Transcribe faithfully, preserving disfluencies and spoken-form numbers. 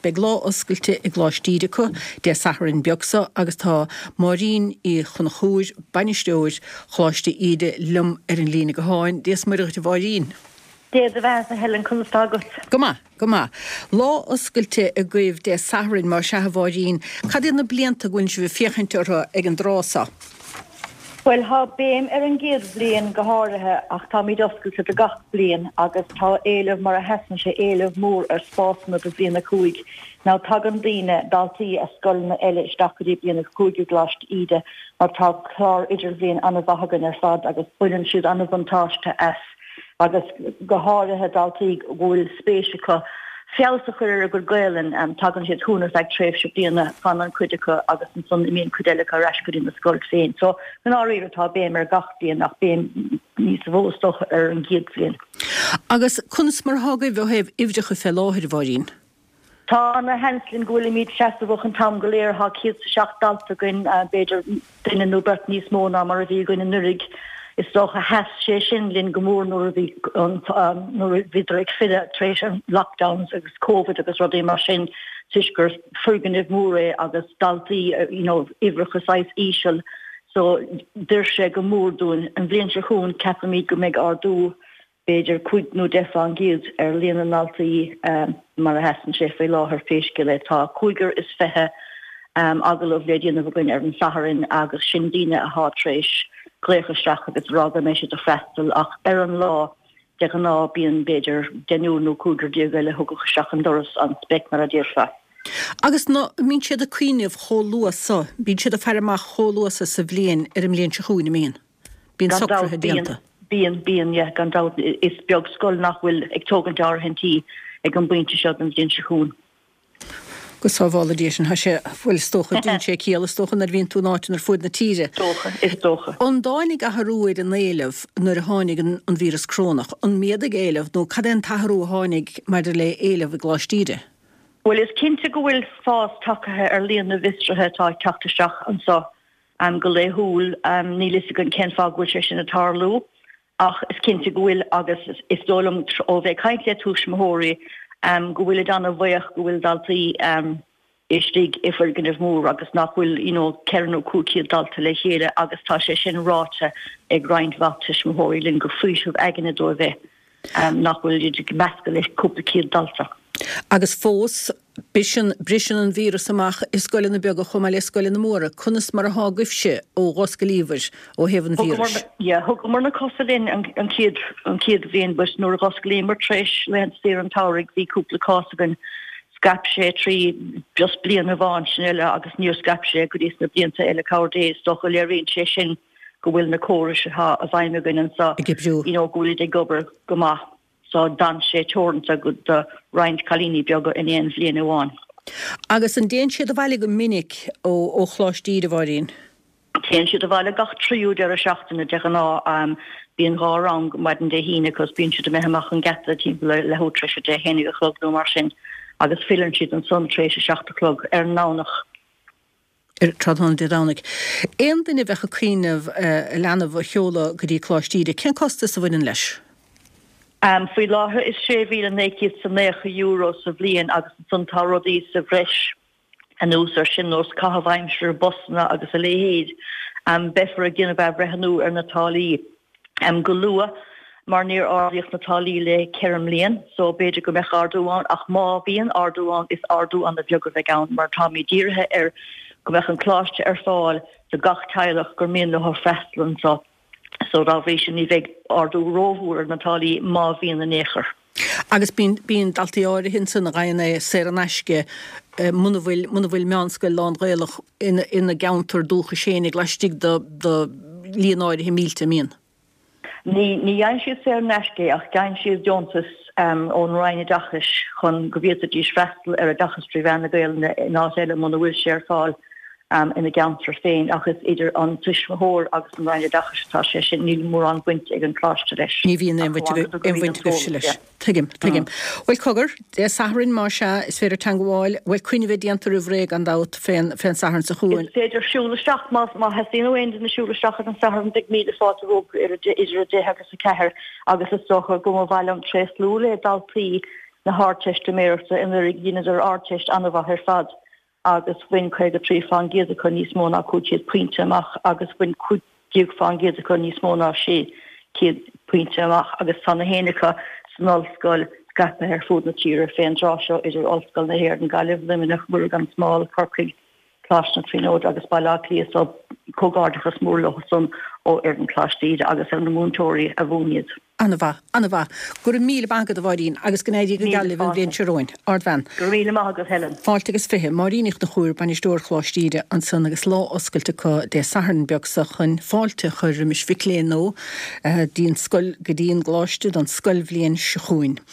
Beidh lá oscailte i gColáiste Íde acu Dé Sathairn beag seo agus tá Máirín Uí Chonchúir, bainisteoir Choláiste Íde liom ar an líne gutháin. Dia is Muire dhuit a Mháirín. Dia do bheatha a Helen conas tá agat. Go maith, go maith. Lá oscailte agaibh Dé Sathairn mar sea a Mháirín, cad iad na blianta go bhfuil sibh ag féachaint orthu ag an dtráth seo? Bhuel tá béim ar an gcéad bhliain go háirithe ach táimid oscailte do gach bliain agus tá éileamh mar a sheasann sé éileamh mór ar spásanna do bhliain a cúig. Now tagann daoine daltaí as scoileanna eile isteach go dtí bliain a cúig i gColáiste Íde mar tá clár idirbhliain an-mhaith againn ar fad agus baineann siad an-bhuntáiste as agus go háirithe daltaí go bhfuil spéis acu feabhas a chur ar a gcuid Gaelainn um, tagann siad chugainn ar feadh tréimhse bliana fanann cuid acu agus ansan imíonn cuid eile acu ar ais go dtí na scoil féin. So go háirithe tá béim ar gach bliain ach béim níos mó is dócha ar an gcéad bhliain. Agus conas mar atá agaibh ó thaobh uimhreacha fé láthair a Mháirín. Tá na hanslin go bhfuilimid seasamhach an t-am go léir tá céad seacht dalta againn b'fhéidir duine nó beirt níos mó ná mar a bhí againn anuraidh. Is dócha sheas sé sin linn go mór nuair a bhí nuair a bhíodar ag filleadh tar éis an lockdowns agus COVID agus rudaí mar sin toisc gur foirgneamh mór é agus daltaí you know, uimhreacha saghas íseal so d'oir sé go mór dúinn an bhliain seo chugainn ceapaimid go mbeidh ardú b'fhéidir cúig nó deich faoin gcéad ar líon na ndaltaí um, mar a sheasann sé faoi láthair pé scéal é tá cúigear is fiche um, agallamh le déanamh againn ar an Satharn agus sin daoine atá tar éis glaoch isteach agus rá go mbeidh siad ag freastal ach ar an lá de ghnáth bíonn b'fhéidir deichniúr nó cúigear déag eile a thiocfadh isteach an doras an speic mar a déarfá. Agus ná mbíonn siad ag cuimhneamh chomh luath so, bíonn siad ag faire amach chomh luath so sa bhliain ar an mbliain seo chugainn an mbíonn. Bíonn socruithe déanta. Bíonn bíonn yeah, gan dabht is beag scoil nach bhfuil ag tógaint áirithintí ag an bpointe seo den bhliain seo chugainn. Go sábhála Dia sin sé bhuel is dócha déanann sé ciall is dócha nuair a bhíonn tú in áit ar fud na tíre. Dócha is dócha. An dtáinig athrú ar an éileamh nuair a tháinig an, an víreas corónach, an méadaigh éileamh nó cad é an t-athrú a tháinig maidir le éileamh i gColáiste Íde? Well is cinnte go bhfuil fás tagtha ar líon na bhfiosruithe atá ag teacht isteach anseo um, go laethúil um, níl fhios againn cén fáth go bhfuil sé sin ag tarlú ach is cinnte go bhfuil agus is dóigh liom ó bheith caint le tuismitheoirí um, go bhfuil an-bhuíoch go bhfuil daltaí um, istigh i bhfoirgneamh mór agus nach bhfuil you know, ceithre nó cúig chéad dalta le chéile agus tá sé sin ráite ag roinnt mhaith tuismitheoirí linn gur faoiseamh aigne dóibh é um, nach bhfuil iad ag meascadh le cúpla céad dalta. Agus fós briseann briseann an víreas amach i scoileanna beaga chomh maith le scoileanna móra, conas mar atá agaibhse ó dh'osclaíobhair ó thaobh an víris. Thugamar na cosa linn an chéad an chéad bhliain but nuair a dh'osclaíomar tar éis laethanta saoire an tsamhraidh bhí cúpla cás againn scaip sé trí just bliain amháin sin eile agus níor scaip sé go dtí sna blianta eile cabhair Dé is dócha léiríonn sé sin go bhfuil na córais atá i bhfeidhm againn anseo Ag oibriú. you know, go bhfuil ag obair go maith. So d'fhan sé teoranta go do roinnt cailíní beaga in aon bhliain amháin. Agus an dtéann siad abhaile go minic ó ó Choláiste Íde a Mháirín. Téann siad abhaile gach tríú deireadh seachtaine de ghnáth um, bíonn dhá rang maidin Dé hAoine cos bíonn siad imithe amach an geata timpeall le leathuair tar éis a deich a chlog nó mar sin agus filleann siad ansan tar éis a seacht a chlog ar an nDomhnach. Ar tráthnóna Dé Domhnaigh. Aon duine a bheadh ag cuimhneamh uh, leanbh a sheoladh go dtí Coláiste Íde, cén costas a bhaineann leis? Um, faoi láthair is sé mhíle naoi gcéad is naocha euro sa bhliain agus ansan tá rudaí sa bhreis anuas ar sin nós caitheamh aimsire busanna agus a leithéid. Um, beifear ag déanamh athbhreithniú ar na táillí um, go luath mar níor ardaíodh na táillí le ceithre mbliana, so b'fhéidir go mbeadh ardú ann ach má bhíonn ardú ann is ardú an-bheag a bheidh ann mar táimid dírithe ar go mbeadh an coláiste ar fáil do gach teaghlach gur mian leo freastal anseo. So dá bhrí sin ní bheidh ardú rómhór ar na táillí má bhíonn in aon chor. Agus bíonn bíonn daltaí áirithe ansan a fhaigheann é saor in aisce muna bhfuil muna bhfuil meánscoil lán-Ghaelach ina ina gceantar dúchais féinig laistigh de de líon áirithe mílte mbíonn. Ní ní fhaigheann siad saor in aisce ach faigheann siad deontas um, ón Roinn Oideachais chun go bhféadfaidís freastal ar oideachas trí mheán na Gaeilge in áit eile muna bhfuil sé ar fáil um, ina gceantar féin agus idir an tuismitheoir agus an Roinn Oideachais atá sé sin níl mórán baint ag an gcoláiste leis. Ní bhíonn aon bhaint agaibhse leis. Tuigim, tuigim. Bhuel cogar, Dé Sathairn má sea is féidir teagmháil, bhuel coinne a bheith déanta roimh ré gan dabht fén fén Satharn seo chugainn. Is féidir siúl isteach má má theastaíonn ó aon duine siúl isteach ar an Satharn beidh míle fáilte rompu idir a deich agus a ceathair agus is dócha go mba mhaith liom tréaslú le daltaí na hArdteistiméireachta anuraidh dheineadar Ardteist an-mhaith ar fad agus bhain caoga trí faoin gcéad acu níos mó ná cúig chéad pointe amach agus bhain cúig déag faoin gcéad acu níos mó ná sé chéad pointe amach agus tá na héinne acu san ollscoil scaipthe ar fud na tíre fén dtráth seo idir Ollscoil na hÉireann, Gaillimh, Luimneach, Muire gan Smál, Corcaigh, Coláiste na Tríonóide agus Baile Átha Cliath so comhghairdeachas mór leo san ó fhoireann Choláiste Íde agus ar na múinteoirí a mhúin iad. An-mhaith, an-mhaith. Go raibh míle maith agat a Mháirín agus go n-éirí go geal libh an bhliain seo romhainn. Ardbhean. Go raibh míle maith agat Helen. Fáilte agus fiche. Máirín Ní Chonchúir, Bainisteoir Choláiste Íde ansan agus lá oscailte acu Dé Sathairn beag seo chun fáilte a chur roimis mhic léinn nua dtí an scoil go dtí an gcoláiste don scoilbhliain seo chugainn.